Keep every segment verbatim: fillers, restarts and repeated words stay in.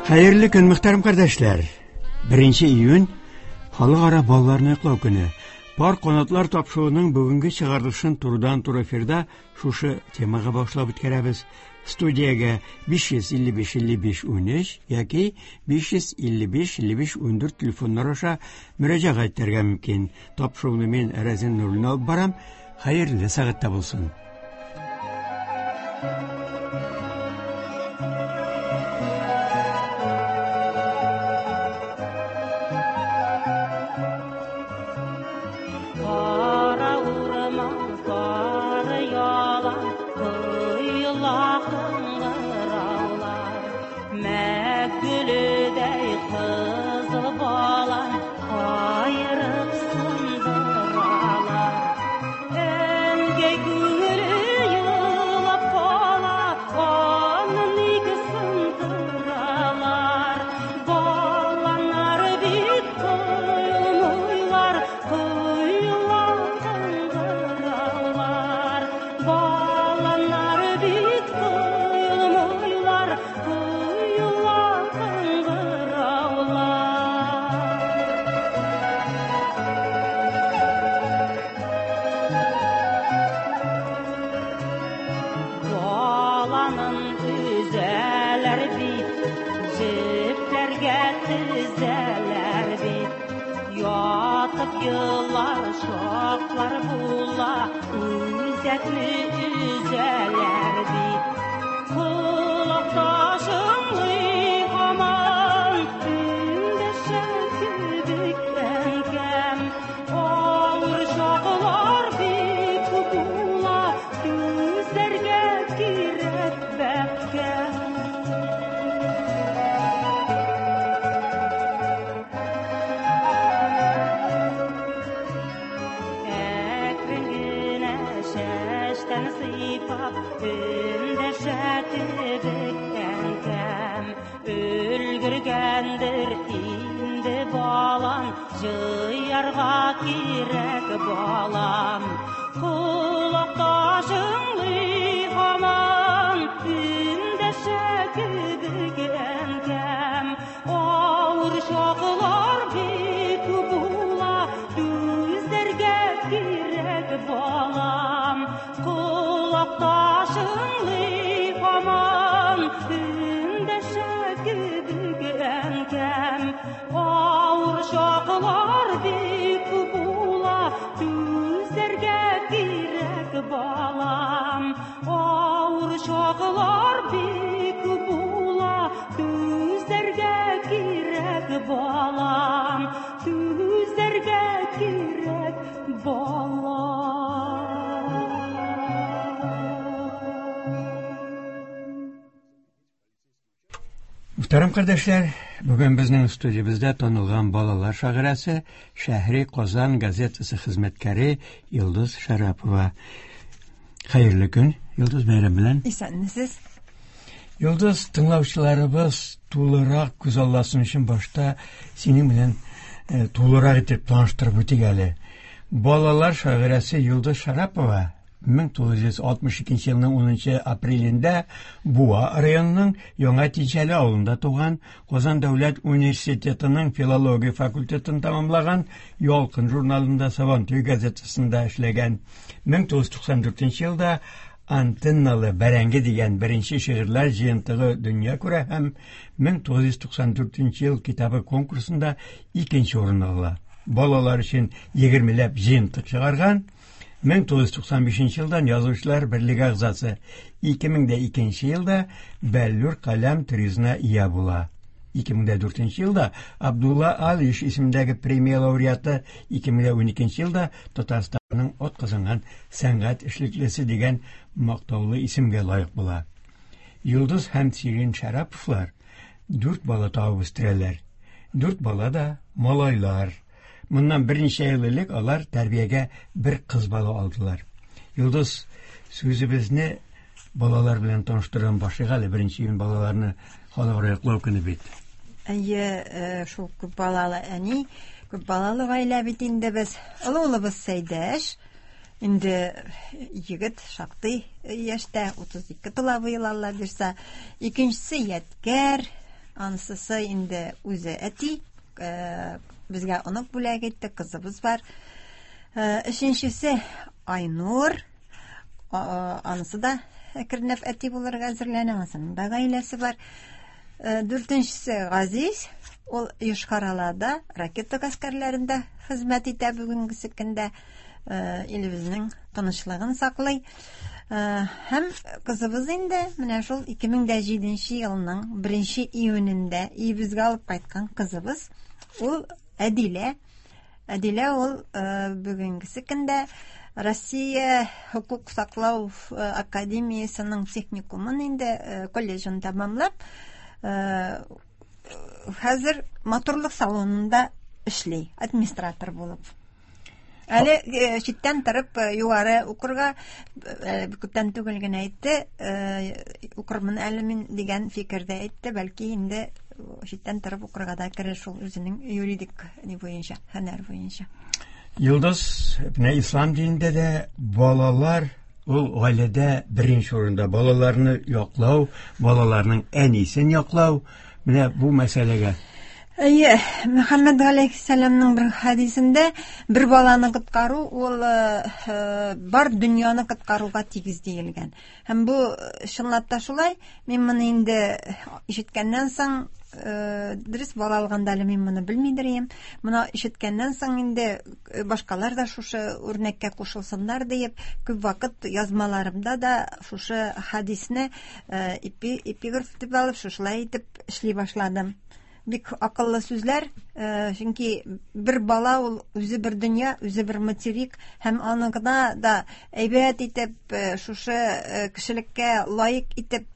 Хәерле көн, мөхтәрәм кардәшләр. Беренче июнь Халыкара балаларны яклау көне. Пар канатлар тапшыруының бүгенге чыгарылышын турыдан-туры эфирда шушы темага багышлап үткәрәбез. Студиягә биш йөз илле биш илле биш унөч яки биш йөз илле биш илле биш ундүрт телефоннар аша мөрәҗәгать итәргә мөмкин. Тапшыруны мин Рәзин Нуруллин алып барам. Хәерле сәгатьтә булсын. Мөхтәрәм кардәшләр, бүген безнең студиябездә танылган балалар шагыйрәсе, Шәһри Казан газетасы хезмәткәре Йолдыз Шәрапова. Хәерле көн, Йолдыз, бәйрәм белән. Исәнмесез. Йолдыз, тыңлаучыларыбыз тулырак күзалласын өчен башта синең белән, э, тулырак итеп таныштырып үтик әле. Балалар шагыйрәсе Йолдыз Шәрапова мең тугыз йөз алтмыш икенче елның унынчы апрелендә Буа районының Яңа Тинчәле авылында туган, Казан дәүләт университетының филология факультетын тәмамлаган, Ялкын журналында, Сабантуй газетасында эшләгән. Мең тугыз йөз туксан дүртенче елда Антенналы бәрәңге дигән беренче шигырьләр җыентыгы дөнья күрә һәм мең тугыз йөз туксан дүртенче ел китабы конкурсында икенче урын ала. Балалар өчен егермеләп җыентык чыгарган. Мең тугыз йөз туксан бишенче елдан Язучылар берлеге әгъзасы, ике мең дә икенче елда Бәллүр каләм тризына ия була. Ике мең дә дүртенче елда Абдулла Алиш исемендәге премия лауреаты, ике мең дә уникенче елда Татарстанның атказанган сәнгать эшлеклесе дигән мактаулы исемгә лаек була. Йолдыз һәм Сирин Шәраповлар дүрт бала табып үстерәләр. Дүрт бала да малайлар. Моннан берничә ел элек алар тәрбиягә бер кыз бала алдылар. Йолдыз, сүзебезне балалар белән таныштырган башлыйк әле. Беренче июнь балаларны халыкара яклау көне бит. Әйе, э, шул күп балалы әни, күп балалы гаилә бит инде без. Олы улыбыз Сәйдәш, инде егет шактый яшьтә, утыз ике тула быел, Алла бирсә. Икенчесе Ядкәр, Анысы инде үзе әти, безгә онык бүләк итте, кызыбыз бар. Өченчесе Айнур, анысы да әкренләп әти булырга әзерләнә, анысының да гаиләсе бар. Дүртенчесе Газиз, ул Йошкар-Олада ракета гаскәрләрендә хезмәт итә бүгенге көндә, илебезнең тынычлыгын саклый. Һәм кызыбыз инде менә шул ике мең дә җиденче елның беренче июнендә өебезгә алып кайткан кызыбыз, ул Әдилә. Әдилә ул бүгенге көндә Россия хукук саклау академиясының техникумын инде колледжын тәмамлап, хәзер матурлык салонында эшли, администратор булып. Әле читтән торып югары укырга күптән түгел генә әйтте, укырмын әле мин дигән фикердә әйтте, бәлки инде читтән торып укырга да керер шул үзенең юридик ни буенча, һөнәр буенча. Йолдыз, менә ислам динендә дә балалар ул гаиләдә беренче урында. Балаларны яклау, балаларның әнисен яклау, менә бу мәсьәләгә. Әйе, Мөхәммәд галәйһиссәламның бер хәдисендә бер баланы коткару ул бар дөньяны коткаруга тигез диелгән. Һәм бу чынлап та шулай. Мин моны инде ишеткәннән соң, дөрес бала алганда әле мин моны белмидер идем. Моны ишеткәннән соң инде башкалар да шушы үрнәккә кушылсыннар диеп, күп вакыт язмаларымда да шушы хәдисне эпиграф дип алып, шушылай итеп эшли башладым. Бик акыллы сүзләр, чөнки бер бала ул үзе бер дөнья, үзе бер материк, һәм аны гына да әйбәт итеп, шушы кешелеккә лаек итеп,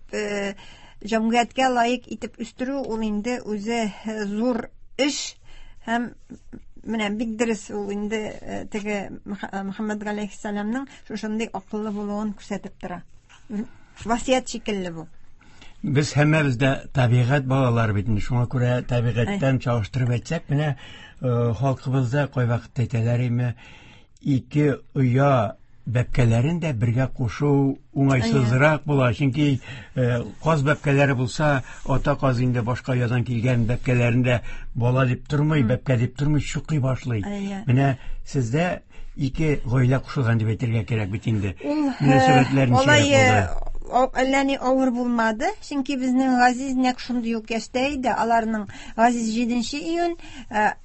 җәмгыятькә лаек итеп үстерү ул инде үзе зур эш. Һәм менә бик дөрес ул инде теге Мөхәммәд галәйһиссәламның шушындый акыллы булуын күрсәтеп тора. Васыять шикелле бу. Без һәммәбез дә табигать балалары бит инде, шуңа күрә табигатьтән чагыштырып әйтсәк, менә халкыбызда кайвакытта әйтәләр име, ике оя бәбкәләрен дә бергә кушу уңайсызрак була, чөнки каз бәбкәләре булса, ата каз инде башка оядан килгән бәбкәләрен дә бала дип тормый, бәбкә дип тормый, чукый башлый. Менә сездә ике гаилә кушылган дип әйтергә кирәк бит инде. Мөнәсәбәтләр ничек булды? Әллә ни авыр булмады, чөнки безнең Газиз нәкъ шундый ук яшьтә иде. Аларның Газиз җиденче июнь,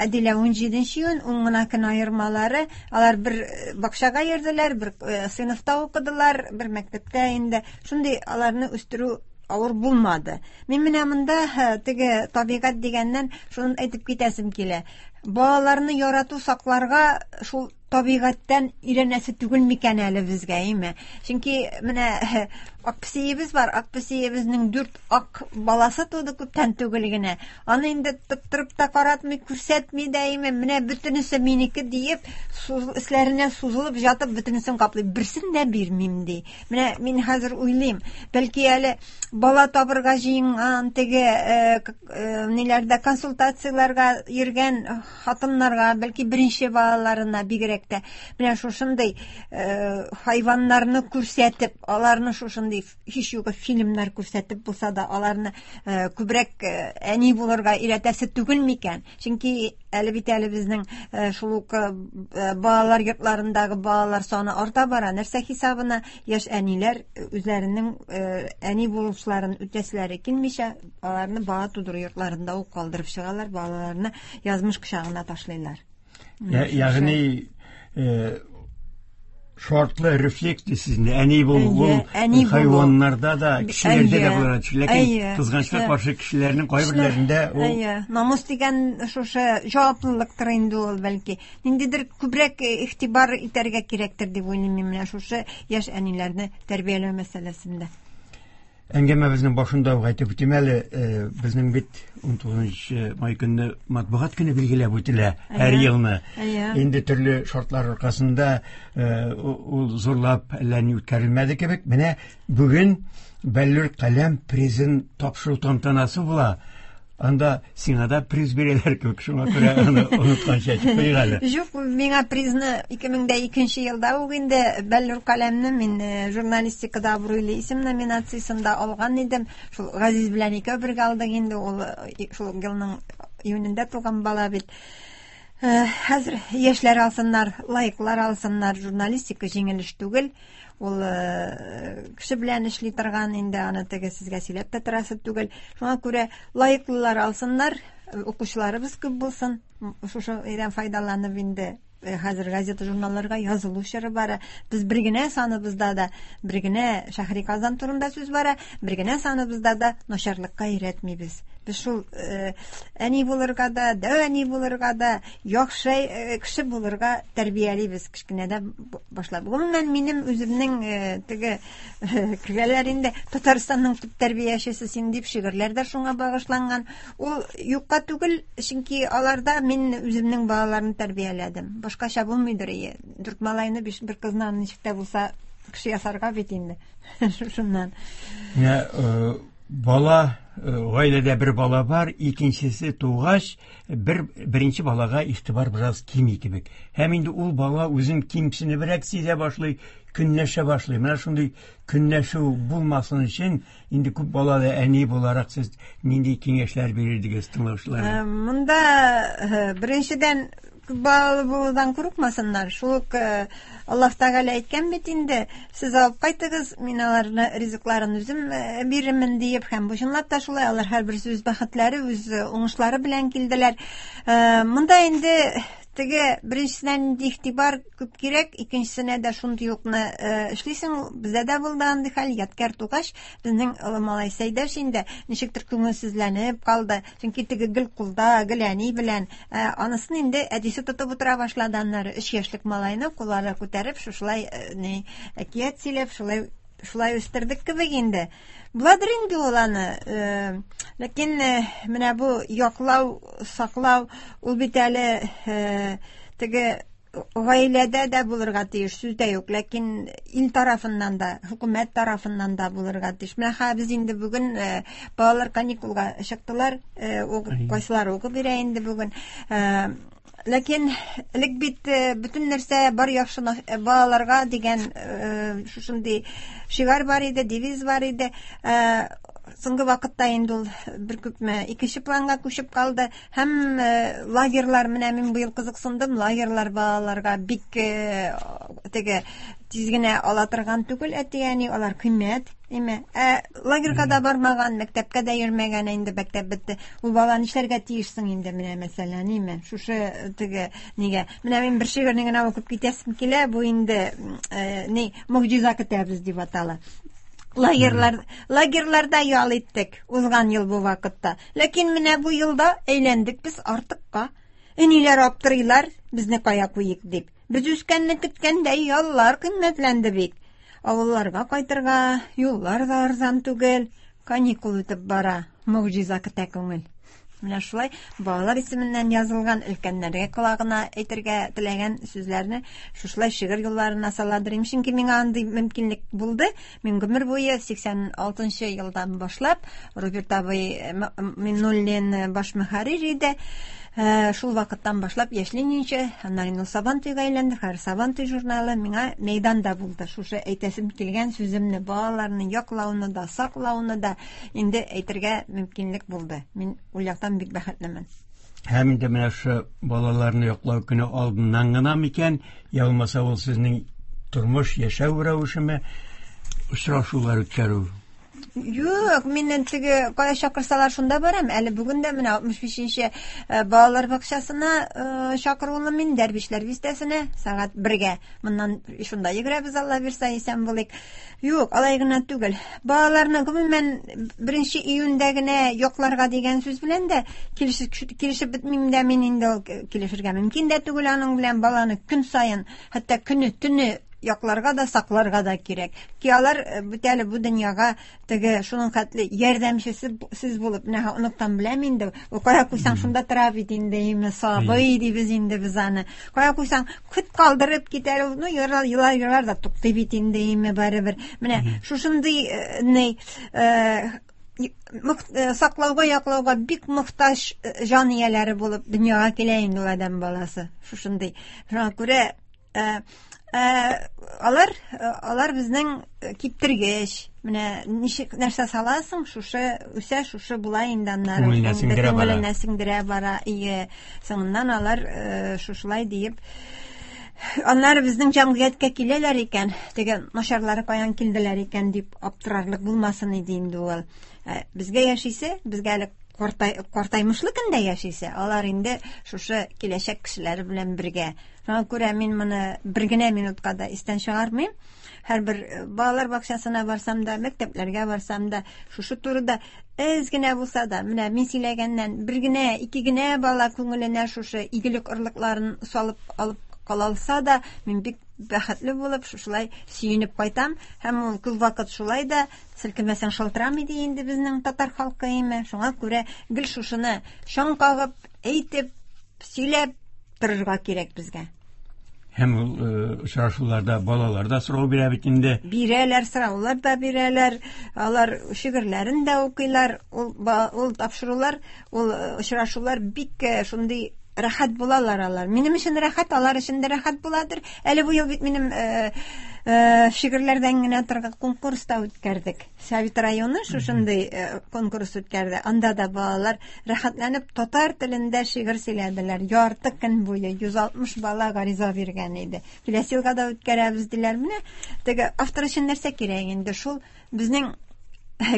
Әдилә унҗиденче июнь, ун гына көн аермалары. Алар бер бакчага йөрделәр, бер сыйныфта укыдылар, бер мәктәптә инде. Шундый аларны үстерү авыр булмады. Мин менә монда теге табигать дигәннән шуны әйтеп китәсем килә. Балаларны ярату, сакларга шул табигатьтән өйрәнәсе түгел микән әле безгә, әйме? Чөнки менә ак песиебез бар, ак песиебезнең дүрт ак баласы туды күптән түгел генә. Аны инде тоттырып та каратмый, күрсәтми дә, әйме? Менә бөтенесе минеке диеп, өсләренә сузылып жатып, бөтенесен каплый. Берсен дә бирмим ди. Менә мин хәзер уйлыйм, бәлки әле бала табырга җыенган, теге ниләрдә консультацияләргә йөргән хатыннарга, бәлки беренче балаларына бигрәк тә менә шушындый хайваннарны күрсәтеп, аларны шушындый һич югы фильмнар күрсәтеп булса да, аларны күбрәк әни булырга өйрәтәсе түгел микән? Чөнки әле бит әле безнең шул ук балалар йортларындагы балалар саны арта бара. Нәрсә хисабына яшь әниләр үзләренең әни булышларын үтәселәре килмичә, аларны бала тудыру йортларында ук калдырып чыгалар, балаларны язмыш кочагына ташлыйлар. Ягъни шартлы рефлекс дисез инде. Әни булу хайваннарда да, кешеләрдә дә була. Ләкин кызганычка каршы кешеләрнең кайберләрендә ул намус дигән шушы җаваплылыктыр инде ул, бәлки. Ниндидер күбрәк игътибар итәргә кирәктер дип уйлыйм мин менә шушы яшь әниләрне тәрбияләү мәсьәләсендә. Әңгәмәбезнең башында ук әйтеп үтим әле, безнең бит ун тугызынчы май көнне матбугат көне билгеләп үтелә һәр елны. Инде төрле шартлар аркасында ул зурлап әллә ни үткәрелмәде кебек. Менә бүген Бәллүр каләм призын тапшыру тантанасы була. Анда сиңа да приз бирәләр кебек, шуңа күрә аны онытканчы әйтеп куйыйк әле. Юк, миңа призны ике мең дә икенче елда ук инде Бәллүр каләмне мин журналистикада абруйлы исем номинациясендә алган идем. Шул Газиз белән икәү бергә алдык инде, ул шул елның июнендә туган бала бит. Хәзер яшьләр алсыннар, лаеклар алсыннар, журналистика җиңел эш түгел. Ул кеше белән эшли торган инде, аны теге сезгә сөйләп тә торасы түгел. Шуңа күрә лаеклылар алсыннар, укучыларыбыз күп булсын. Шушы өйдән файдаланып инде хәзер газета журналларга язылу чоры бара. Без бер генә саныбызда да, бер генә Шәһри Казан турында сүз бара, бер генә саныбызда да начарлыкка өйрәтмибез. Без шул әни булырга да, дәү әни булырга да, яхшы кеше булырга тәрбиялибез кечкенәдән башлап. Гомумән, минем үземнең теге кергәләр инде Татарстанның төп тәрбиячесе син дип шигырьләр дә шуңа багышланган. Ул юкка түгел, чөнки аларда мин үземнең балаларны тәрбияләдем. Башкача булмыйдыр ие. Дүрт малайны, биш бер кызны ничек тә булса кеше ясарга бит инде. Шуннан. Менә бала, гаиләдә бер бала бар, икенчесе тугач, бер беренче балага игътибар бераз кими кебек. Һәм инде ул бала үзен кимсенебрәк сизә башлый, көнләшә башлый. Менә шундый көнләшү булмасын өчен инде күп балалы әни буларак сез нинди киңәшләр бирердегез тыңлаучыларга? Монда беренчедән күп балалы булудан курыкмасыннар. Шул ук Аллаһ Тәгалә әйткән бит инде, сез алып кайтыгыз, мин аларны ризыкларын үзем бирермен диеп, һәм бу чынлап та шулай, алар һәрберсе үз бәхетләре, үз уңышлары белән килделәр. Монда инде теге беренчесенә инде игътибар күп кирәк, икенчесенә дә шундый укны эшлисең. Бездә дә булды андый хәл, ядкәр тугач, безнең олы малай Сәйдәш инде ничектер күңелсезләнеп калды. Чөнки теге гел кулда, гел әни белән, анысын инде әтисе тотып утыра башлады. Аннары өч яшьлек малайны куллары күтәреп, шушылай ни әкият сөйләп, шулай шулай үстердек кебек инде. Буладыр инде ул аны. Ләкин менә бу яклау, саклау, ул бит әле теге гаиләдә дә булырга тиеш, сүз дә юк, ләкин ил тарафыннан да, хөкүмәт тарафыннан да булырга тиеш. Менә хәзер без инде бүген балалар каникулга чыктылар, кайсылар укып бирә инде бүген. Ләкин элек бит бөтен нәрсә бар яхшы балаларга дигән шушындый шигарь бар иде, девиз бар иде. Соңгы вакытта инде ул бер күпме икенче планга күчеп калды. Һәм лагерьлар, менә мин быел кызыксындым, лагерьлар балаларга бик теге тиз генә ала торган түгел әти-әни, алар кыйммәт, әйме. Ә лагерьга да бармаган, мәктәпкә дә йөрмәгән, инде мәктәп бетте. Ул бала нишләргә тиешсең инде, менә мәсәлән, әйме. Шушы теге нигә. Менә мин бер шигырьне генә укып китәсем килә, бу инде ни, могҗиза көтәбез дип атала. Лагерьлар, лагерьларда ял иттек узган ел бу вакытта. Ләкин менә бу елда әйләндек без артыкка. Әниләр аптырыйлар, безне кая куйык дип. Без үскәнне көткәндә яллар кыйммәтләнде бит. Авылларга кайтырга юллар да арзан түгел. Каникул үтеп бара, могҗиза көтә күңел. Менә шулай балалар исеменнән язылган өлкәннәргә колагына әйтергә теләгән сүзләрне шушылай шигырь юлларына саладырым. Чөнки миңа андый мөмкинлек булды. Мин гомер буе сиксән алтынчы елдан башлап Роберт абый Миннуллин баш мөхәррир иде. Шул вакыттан башлап Яшь Ленинче, аннан инде Сабантуйга әйләнде. Хәзер Сабантуй журналы миңа мәйданда булды. Шушы әйтәсем килгән сүземне, балаларны яклауны да, саклауны да инде әйтергә мөмкинлек булды. Мин ул яктан бик бәхетлемен. Һәм инде менә шу балаларны яклау көне алдыннан гына микән, я булмаса ул сезнең тормыш, яшәү рәвешеме, очрашулар үткәрү? Юк, миннән теге кая чакырсалар шунда барам. Әле бүген дә менә алтмыш бишенче балалар бакчасына чакырулы мин, Дәрвишләр бистәсенә сәгать бергә. Моннан шунда йөгерәбез, Алла бирсә, исән булыйк. Юк, алай гына түгел. Балаларны гомумән беренче июньдә генә якларга дигән сүз белән дә килешеп, килешеп бетмим дә мин инде, ул килешергә мөмкин дә түгел аның белән. Баланы көн саен, хәтта көне, төне якларга да, сакларга да кирәк. Ки алар бит әле бу дөньяга теге шуның хәтле ярдәмчесе сез булып, менә оныктан беләм инде, ул кая куйсаң шунда тора бит инде, име сабый дибез инде без аны. Кая куйсаң көт калдырып китәр, ул, ну, елар, елар, елар да туктый бит инде, име барыбер. Менә шушындый, ни, саклауга, яклауга бик мохтаҗ җан ияләре булып дөньяга килә инде ул адәм баласы. Шушындый. Шуңа күрә алар алар безнең киптергеч. Менә ничек нәрсә саласың, шушы үсә, шушы була инде аннары. Күңеленә сеңдерә бара. Күңеленә сеңдерә бара. Ие, соңыннан алар шушылай диеп аннары безнең җәмгыятькә киләләр икән, теге начарлары каян килделәр икән дип аптырарлык булмасын иде инде ул. Безгә яшисе, безгә әле картай, картаймышлы көндә яшисе, алар инде шушы киләчәк кешеләре белән бергә. Шуңа күрә мин моны бер генә минутка да истән чыгармыйм. Һәрбер балалар бакчасына барсам да, мәктәпләргә барсам да, шушы турыда әз генә булса да, менә мин сөйләгәннән бер генә, ике генә бала күңеленә шушы игелек орлыкларын салып алып калалса да, мин бик бәхетле булып, шушылай сөенеп кайтам. Һәм ул күп вакыт шулай да селкенмәсәң шалтырамый ди инде безнең татар халкы име. Шуңа күрә гел шушыны чаң кагып, әйтеп, сөйләп торырга кирәк безгә. Һәм ул очрашуларда балалар да сорау бирә бит инде. Бирәләр, сораулар да бирәләр, алар шигырьләрен дә укыйлар. Ул, ул тапшырулар, ул очрашулар бик шундый рәхәт булалар алар. Минем өчен рәхәт, алар өчен дә рәхәт буладыр. Әле бу ел бит минем э, э, шигырьләрдән генә торган конкурс та үткәрдек. Совет районы шушындый э, конкурс үткәрде. Анда да балалар рәхәтләнеп татар телендә шигырь сөйләделәр. Ярты көн буе йөз алтмыш бала гариза биргән иде. Киләсе елга да үткәрәбез диләр. Менә теге автор өчен нәрсә кирәк инде? Шул безнең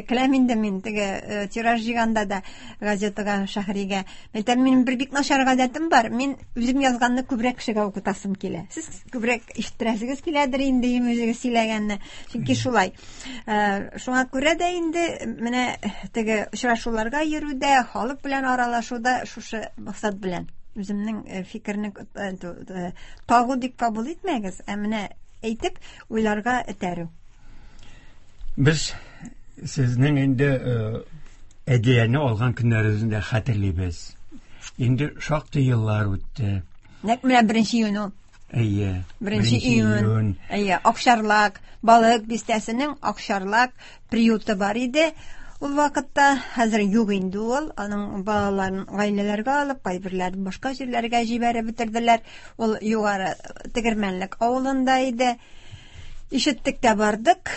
Көләм инде мин теге тираж җыйганда да газетага, Шәһригә. Әйтәм, минем бер бик начар гадәтем бар. Мин үзем язганны күбрәк кешегә укытасым килә. Сез күбрәк ишеттерәсегез киләдер инде үзегез сөйләгәнне. Чөнки шулай. Шуңа күрә дә инде менә теге очрашуларга йөрүдә, халык белән аралашуда шушы максат белән үземнең фикерне тагу дип кабул итмәгез, ә менә әйтеп уйларга этәрү. Без сезнең инде Әдиләне алган көннәрегезне дә хәтерлибез. Инде шактый еллар үтте. Нәкъ менә беренче июнь ул. Әйе. Беренче июнь. Әйе, Акчарлак, Балык бистәсенең Акчарлак приюты бар иде. Ул вакытта хәзер юк инде ул. Аның балаларын гаиләләргә алып, кайберләрен башка җирләргә җибәреп бетерделәр. Ул югары Тегермәнлек авылында иде. Ишеттек тә бардык,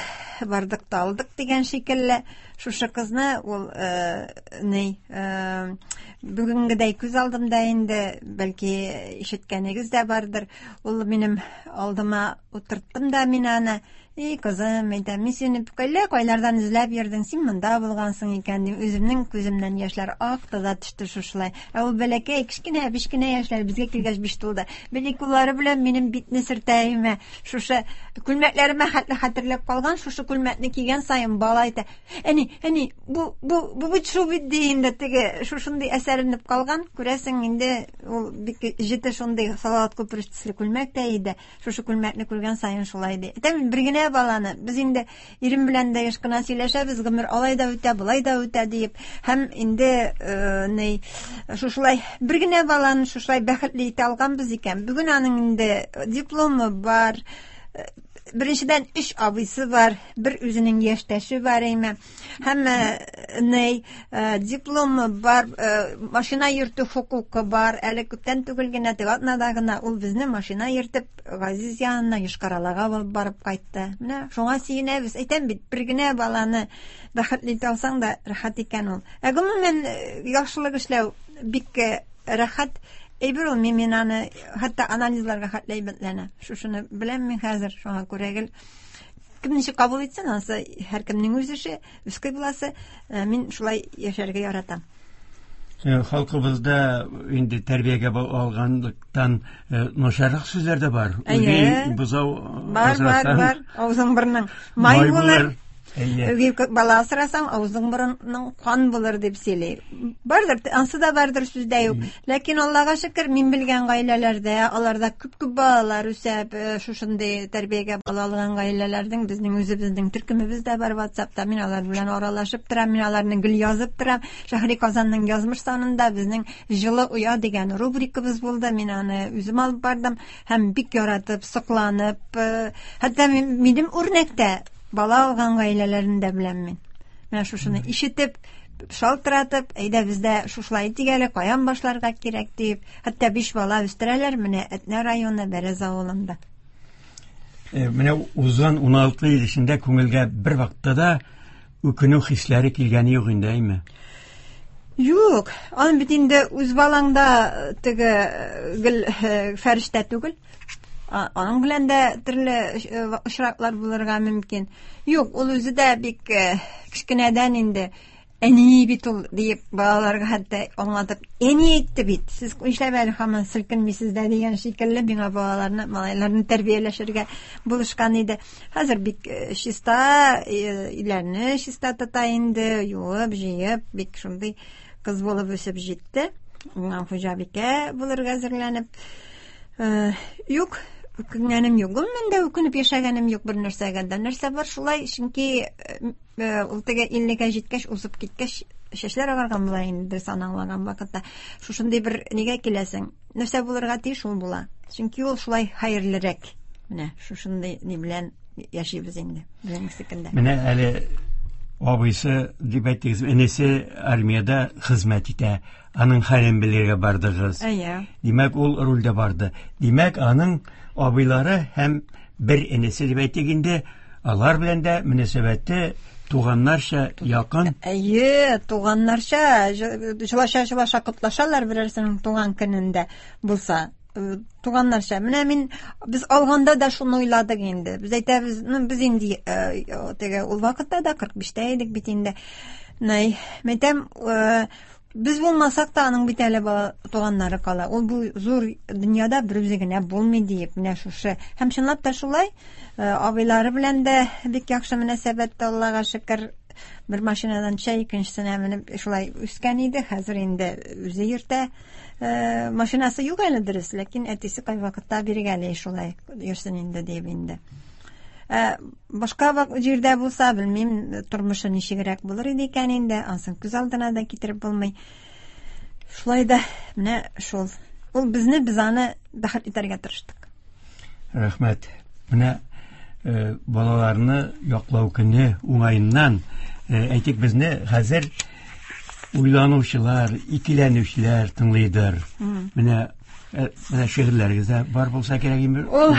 бардык та алдык дигән шикелле. Шушы кызны ул э, ни, э, бүгенгедәй күз алдымда инде, бәлки ишеткәнегез дә бардыр. Ул минем алдыма утырттым да мин аны. Эй, кызым, әйтәм, мин сине әллә кайлардан эзләп йөрдем, син монда булгансың икән дим. Үземнең күземнән яшьләр акты да төште шушылай. Ә ул бәләкәй, кечкенә, бишкенә яшьләр безгә килгәч биш тулды. Бәләкәй куллары белән минем битне сөртә име. Шушы күлмәкләремә хәтле хәтерләп калган, шушы күлмәкне кигән саен бала әйтә: "Әни, әни, бу бу бу бит шул бит" ди инде, теге шушындый әсәренеп калган. Күрәсең инде ул бик җете шундый Салават күпере төсле күлмәк тә иде. Шушы күлмәкне күргән саен шулай ди. Әйтәм, бер генә баланы без инде ирем белән дә еш кына сөйләшәбез, гомер алай да үтә, болай да үтә диеп. Һәм инде ни шушылай бер генә баланы шушылай бәхетле итә алганбыз икән. Бүген аның инде дипломы бар, беренчедән өч абыйсы бар, бер үзенең яшьтәше бар име. Һәм ни дипломы бар, машина йөртү хокукы бар. Әле күптән түгел генә, теге атнада гына ул безне машина йөртеп Газиз янына Йошкар-Олага барып кайтты. Менә шуңа сөенәбез. Әйтәм бит, бер генә баланы бәхетле итә алсаң да рәхәт икән ул. Ә гомумән яхшылык эшләү бик рәхәт әйбер ул. Мин, мин аны хәтта анализларга хәтле әйбәтләнә. Шушыны беләм мин хәзер, шуңа күрә гел кем ничек кабул итсен, анысы һәркемнең үз эше, үз кыйбласы. Мин шулай яшәргә яратам. Халкыбызда инде тәрбиягә алганлыктан начаррак сүзләр дә бар. Үги бозау бар, бар, бар. Авызың борның май булыр. Үги бала асрасаң, авызың борының кан булыр дип сөйли. Бардыр, ансы да бардыр сүздә юк. Ләкин Аллага шөкер, мин белгән гаиләләрдә, аларда күп-күп балалар үсеп, шушындый тәрбиягә бала алган гаиләләрнең безнең үзебезнең төркемебез дә бар WhatsAppта. Мин алар белән аралашып торам, мин аларны гел язып торам. Шәһри Казанның язмыш санында безнең Җылы оя дигән рубрикабыз булды. Мин аны үзем алып бардым һәм бик яратып, сокланып, хәтта минем үрнәктә бала алган гаиләләрен дә беләм мин. Менә шушыны ишетеп, шалтыратып, әйдә бездә шушылай итик әле, каян башларга кирәк дип, хәтта биш бала үстерәләр менә Әтнә районы Бәрәз авылында. Менә узган ун алты ел эчендә күңелгә бер вакытта да үкенү хисләре килгәне юк инде, әйме? Юк, аның бит инде үз балаң да теге гел фәрештә түгел. Аның белән дә төрле очраклар булырга мөмкин. Юк, ул үзе дә бик кечкенәдән инде әни бит ул диеп балаларга хәтта аңлатып, әни әйтте бит, сез нишләп әле һаман селкенмисез дә дигән шикелле миңа балаларны, малайларны тәрбияләшергә булышкан иде. Хәзер бик чиста, өйләрне чиста тота инде, юып, җыеп, бик шундый кыз булып үсеп җитте. Уңган хуҗабикә булырга әзерләнеп. Юк, үкенгәнем юк. Гомумән дә үкенеп яшәгәнем юк бер нәрсәгә дә. Нәрсә бар шулай, чөнки ул теге иллегә җиткәч, узып киткәч, чәчләр агарган була инде, дөрес аңлаган вакытта. Шушындый бер нигә киләсең? Нәрсә булырга тиеш, шул була. Чөнки ул шулай хәерлерәк. Менә шушындый ни белән яшибез инде безнең. Менә әле абыйсы дип әйттегез, энесе армиядә хезмәт итә. Аның хәлен белергә бардыгыз. Әйе. Димәк, ул рульдә барды. Димәк, аның абыйлары һәм бер энесе дип әйтик инде, алар белән дә мөнәсәбәте туганнарча якын. Әйе, туганнарча, җылаша-җылаша котлашалар берәрсенең туган көнендә булса. Туганнарча. Менә мин без алганда да шуны уйладык инде. Без әйтәбез, ну без инде теге ул вакытта да кырык биштә идек бит инде. Най, мәйтәм, без булмасак та аның бит әле бала туганнары кала. Ул бу зур дөньяда бер үзе генә булмый диеп, менә шушы. Һәм чынлап та шулай, абыйлары белән дә бик яхшы мөнәсәбәттә, Аллага шөкер. Бер машинадан чәй, икенчесенә менеп шулай үскән иде. Хәзер инде үзе йөртә. Машинасы юк әле дөрес, ләкин әтисе кайвакытта биргәли шулай йөрсен инде дип инде. Башка җирдә булса, белмим, тормышы ничегрәк булыр иде икән инде, ансын күз алдына да китереп булмый. Шулай да менә шул. Ул безне, без аны бәхет итәргә тырыштык. Рәхмәт. Менә балаларны яклау көне уңаеннан әйтик, безне хәзер уйланучылар, икеләнүчеләр тыңлыйдыр. Менә менә шигырьләрегез дә бар булса кирәк инде. Ул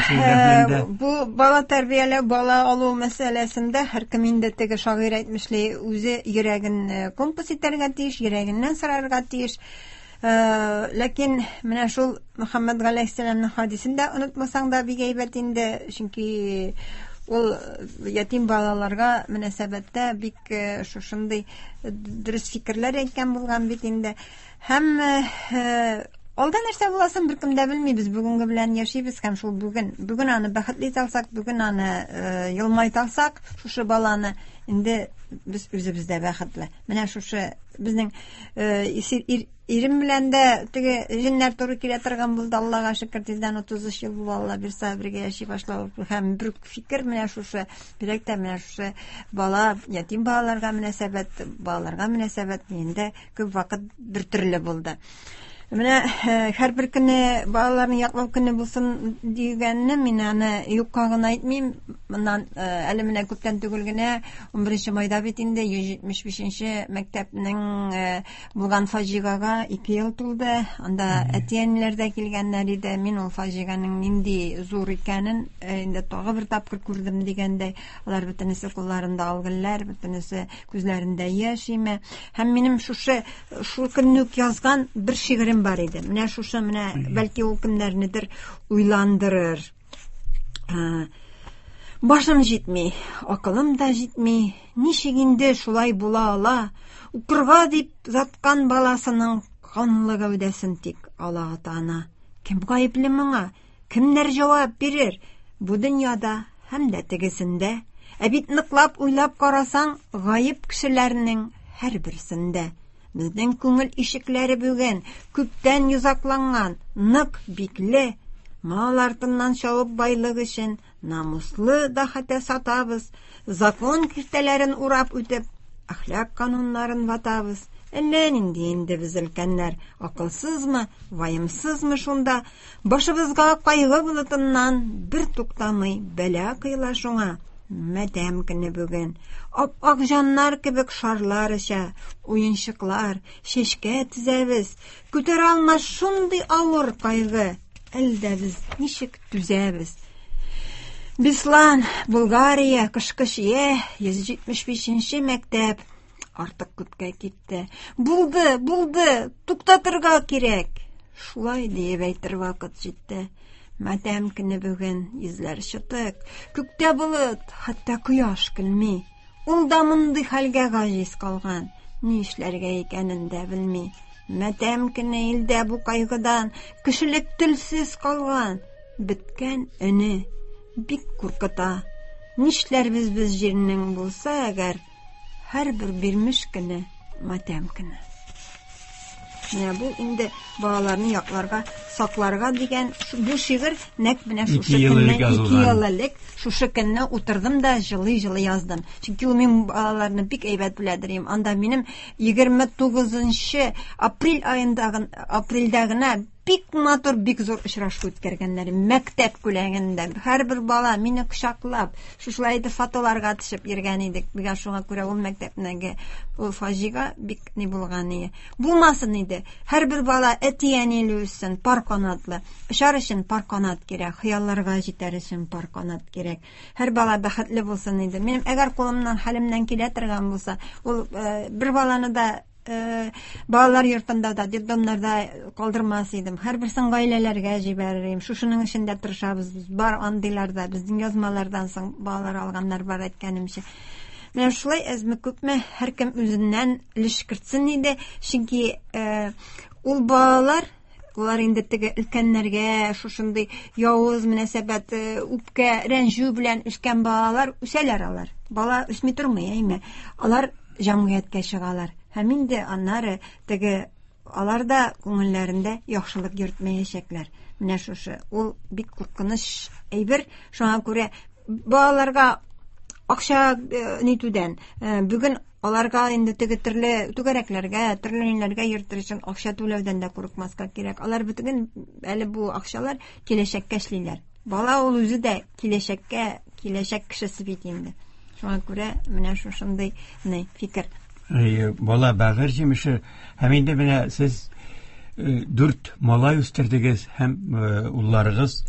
бу бала тәрбияләү, бала алу мәсьәләсендә һәркем инде теге шагыйрь әйтмешли, үзе йөрәген компас итәргә тиеш, йөрәгеннән сорарга тиеш. Ләкин менә шул Мөхәммәд галәйһиссәламның хадисен дә онытмасаң да бик әйбәт инде, чөнки ул ятим балаларга мөнәсәбәттә бик шушындый дөрес фикерләр әйткән булган бит инде. Һәм алда нәрсә буласын беркем дә белми, без бүгенге белән яшибез һәм шул бүген, бүген аны бәхетле итә алсак, бүген аны елмайта алсак, шушы баланы инде без үзебез дә бәхетле. Менә шушы безнең ирем белән дә теге җеннәр туры килә торган булды, Аллага шөкер, тиздән утыз өч ел булды, Алла бирсә бергә яши башлау. Һәм бер фикер менә шушы, бигрәк тә менә шушы бала, ятим балаларга мөнәсәбәт, балаларга мөнәсәбәт инде күп вакыт бер төрле булды. Менә һәрбер көне балаларны яклау көне булсын дигәнне мин аны юкка гына әйтмим. Моннан әле менә күптән түгел генә ун беренче майда бит инде йөз җитмеш бишенче мәктәпнең булган фаҗигага ике ел тулды. Анда әти-әниләр дә килгәннәр иде. Мин ул фаҗиганың нинди зур икәнен инде тагы бер тапкыр күрдем дигәндәй. Алар бөтенесе кулларында алгыллар, бөтенесе күзләрендә яшь име. Һәм минем шушы шул көнне үк язган бер шигырем бар иде. Менә шушы, менә бәлки ул кемнәрнедер уйландырыр. Башым җитми, акылым да җитми. Ничек инде шулай була ала? Укырга дип заткан баласының канлы гәүдәсен тик ала ата-ана. Кем гаепле моңа? Кемнәр җавап бирер? Бу дөньяда һәм дә тегесендә. Ә бит ныклап уйлап карасаң, гаеп кешеләрнең һәрберсендә. Безнең күңел ишекләре бүген күптән йозакланган, нык бикле. Мал артыннан чабып байлык өчен намуслы да хәтта сатабыз. Закон киртәләрен урап үтеп, әхлак кануннарын ватабыз. Әллә нинди инде без өлкәннәр, акылсызмы, ваемсызмы шунда? Башыбызга кайгы болытыннан бер туктамый бәла коела шуңа. Матәм көне бүген. Ап-ак җаннар кебек шарлар оча, уенчыклар, чәчкә тезәбез. Күтәрә алмас шундый авыр кайгы. Әлдә без ничек түзәбез? Беслан, Булгария, кышкы чия, йөз җитмеш бишенче мәктәп. Артык күпкә китте. Булды, булды, туктатырга кирәк. Шулай диеп әйтер вакыт җитте. Матәм көне бүген, йөзләр чытык, күктә болыт, хәтта кояш көлми. Ул да мондый хәлгә гаҗиз калган, ни эшләргә икәнен дә белми. Матәм көне илдә бу кайгыдан кешелек телсез калган. Беткән өне бик куркыта. Нишләрбез без җирнең булса әгәр, һәрбер бирмеш көне матәм көне. Менә бу инде балаларны якларга, сакларга дигән бу шигырь нәкъ менә шушы көнне, ике ел элек шушы көнне утырдым да җылый-җылый яздым. Чөнки ул мин балаларны бик әйбәт беләдер идем. Анда минем егерме тугызынчы апрель аенда, апрельдә генә бик матур, бик зур очрашу үткәргәннәр. Мәктәп күләгендә һәрбер бала мине кочаклап, шушылай итеп фотоларга төшеп йөргән идек. Миңа шуңа күрә ул мәктәпнеге ул фаҗига бик ни булган иде. Булмасын иде. Һәрбер бала әти-әниле үссен, пар канатлы. Очар өчен пар канат кирәк, хыялларга җитәр өчен пар канат кирәк. Һәр бала бәхетле булсын иде. Минем әгәр кулымнан, хәлемнән килә торган булса, ул бер баланы да балалар йортында да, детдомнарда калдырмас идем. Һәрберсен гаиләләргә җибәрер идем. Шушының өчен дә тырышабыз. Бар андыйларда, безнең язмалардан соң балалар алганнар бар, әйткәнемчә. Менә шулай әзме күпме һәркем үзеннән өлеш кертсен иде. Чөнки ул балалар, улар инде теге өлкәннәргә шушындый явыз мөнәсәбәт, үпкә, рәнҗү белән үскән балалар үсәләр алар. Бала үсми тормый, әйме? Алар җәмгыятькә чыгалар. Һәм инде аннары теге алар да күңелләрендә яхшылык йөртмәячәкләр. Менә шушы ул бик куркыныч әйбер. Шуңа күрә балаларга акча нитүдән, бүген аларга инде теге төрле түгәрәкләргә, төрле ниләргә йөртер өчен акча түләүдән дә курыкмаска кирәк. Алар бүтән әле бу акчалар киләчәккә эшлиләр. Бала ул үзе дә киләчәккә, киләчәк кешесе бит инде. Шуңа күрә менә шушындый ни фикер. Бала бәгырь җимеше. Һәм инде менә сез дүрт малай үстердегез һәм улларыгыз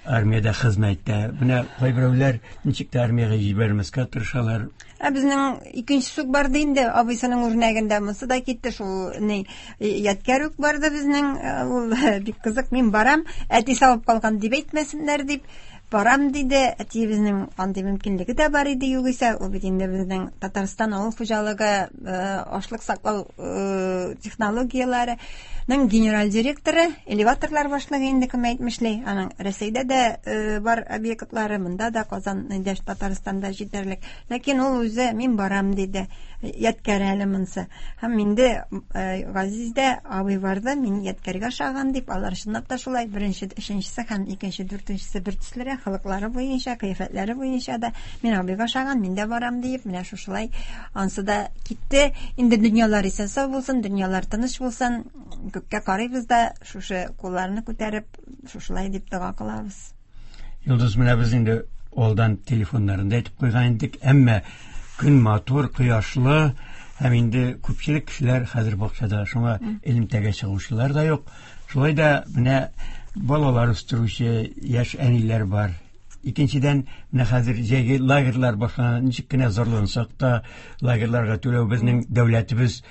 армиядә хезмәттә. Менә кайберәүләр ничек тә армиягә җибәрмәскә тырышалар. Ә безнең икенче үк барды инде, абыйсының үрнәгендә монсы да китте, шул ни ядкәр үк барды безнең, ул бик кызык, мин барам, әти салып калган дип әйтмәсеннәр дип барам диде. Әтиебезнең андый мөмкинлеге дә бар иде югыйсә, ул бит инде безнең Татарстан авыл хуҗалыгы ашлык саклау технологияләренең генераль директоры, элеваторлар башлыгы инде кем әйтмешли. Аның Рәсәйдә дә бар объектлары, монда да Казан, Татарстанда җитәрлек. Ләкин ул үзе мин барам диде. Ядкәр әле монсы. Һәм инде Газиз дә абый барды, мин ядкәргә ошаган дип, алар чынлап та шулай беренче, өченчесе һәм икенче, дүртенчесе бер төслерәк, холыклары буенча, кыяфәтләре буенча да мин абыйга ошаган, мин дә барам диеп, менә шушылай ансы да китте. Инде дөньялар исән сау булсын, дөньялар тыныч булсын. Күккә карыйбыз да, шушы кулларны күтәреп, шушылай дип дога кылабыз. Йолдыз, менә без инде алдан телефоннарын да әйтеп куйган идек, әмма көн матур, кояшлы, һәм инде күпчелек кешеләр хәзер бакчада, шуңа элемтәгә чыгучылар да юк. Шулай да менә балалар үстерүче яшь әниләр бар. Икенчедән, менә хәзер җәйге лагерьлар башлана, ничек кенә зарлансак та, лагерьларга түләү безнең дәүләтебез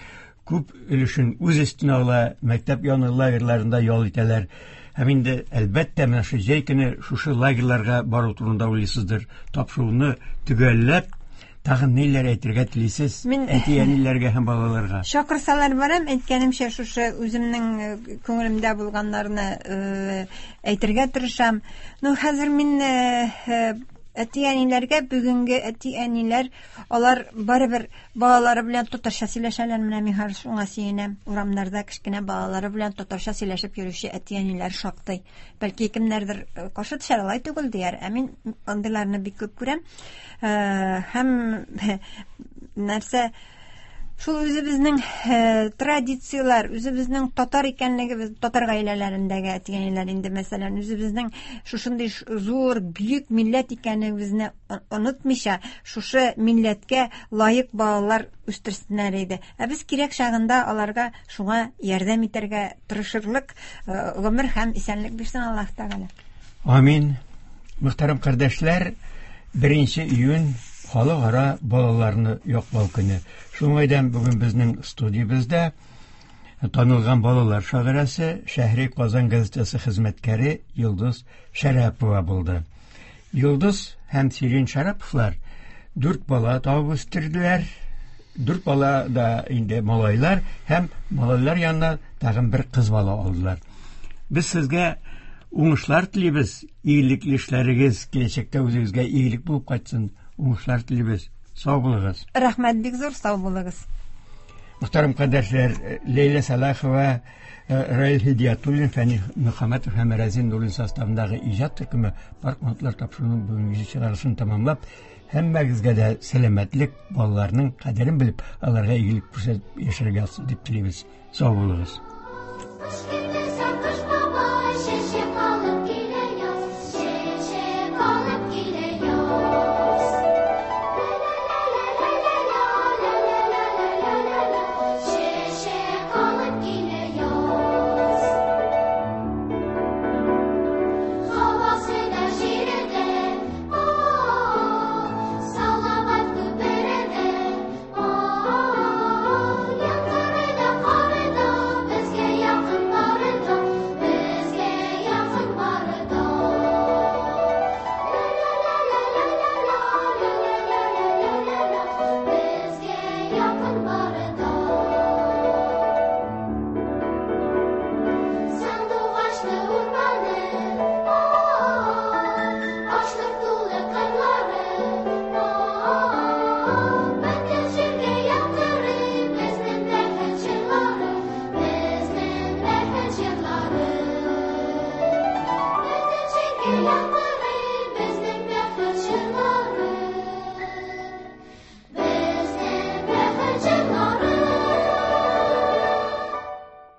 күп өлешен үз өстенә ала, мәктәп яны лагерьларында ял итәләр. Һәм инде әлбәттә менә шу җәй көне шушы лагерьларга бару турында уйлыйсыздыр. Тапшыруны төгәлләп, тагын ниләр әйтергә телисез әти-әниләргә һәм балаларга? Чакырсалар барам, әйткәнемчә, шушы үземнең күңелемдә булганнарны әйтергә тырышам. Ну, хәзер мин әти-әниләргә, бүгенге әти-әниләр, алар барыбер балалары белән татарча сөйләшәләр. Менә мин хәзер шуңа сөенәм. Урамнарда кечкенә балалары белән татарча сөйләшеп йөрүче әти-әниләр шактый. Бәлки кемнәрдер каршы төшәр, алай түгел дияр. Ә мин андыйларны бик күп күрәм. Һәм нәрсә, Шул үзебезнең традицияләр, үзебезнең татар икәнлегебез, татар гаиләләрендәге әти-әниләр инде, мәсәлән, үзебезнең шушындый зур, бөек милләт икәнлегебезне онытмыйча, шушы милләткә лаек балалар үстерсеннәр иде. Ә без кирәк чагында аларга шуңа ярдәм итәргә тырышырлык гомер һәм исәнлек бирсен Аллаһ Тәгалә. Амин. Мөхтәрәм кардәшләр, беренче июнь халыкара балаларны яклау көне. Шуңайдан бүген безнең студиябездә танылган балалар шагыйрәсе, Шәһри Казан газетасы хезмәткәре Йолдыз Шәрәпова булды. Йолдыз һәм Сирин Шәраповлар дүрт бала табып үстерделәр. Дүрт бала да инде малайлар һәм малайлар янына тагын бер кыз бала алдылар. Без сезгә уңышлар телибез, игелекле эшләрегез киләчәктә үзегезгә игелек булып кайтсын. Уңышлар телибез. Сау булыгыз. Рәхмәт бик зур, сау булыгыз. Мөхтәрәм кардәшләр, Ләйлә Сәлахова, Раил Һидиятуллин, Фәни Мөхәммәтов һәм Рәзин Нуруллин составындагы иҗат төркеме Парк минутлар тапшыруының бүгенге чыгарылышын тәмамлап, һәммәгезгә дә сәламәтлек, балаларның кадерен белеп, аларга игелек күрсәтеп яшәргә язсын дип телибез. Сау булыгыз. Yeah.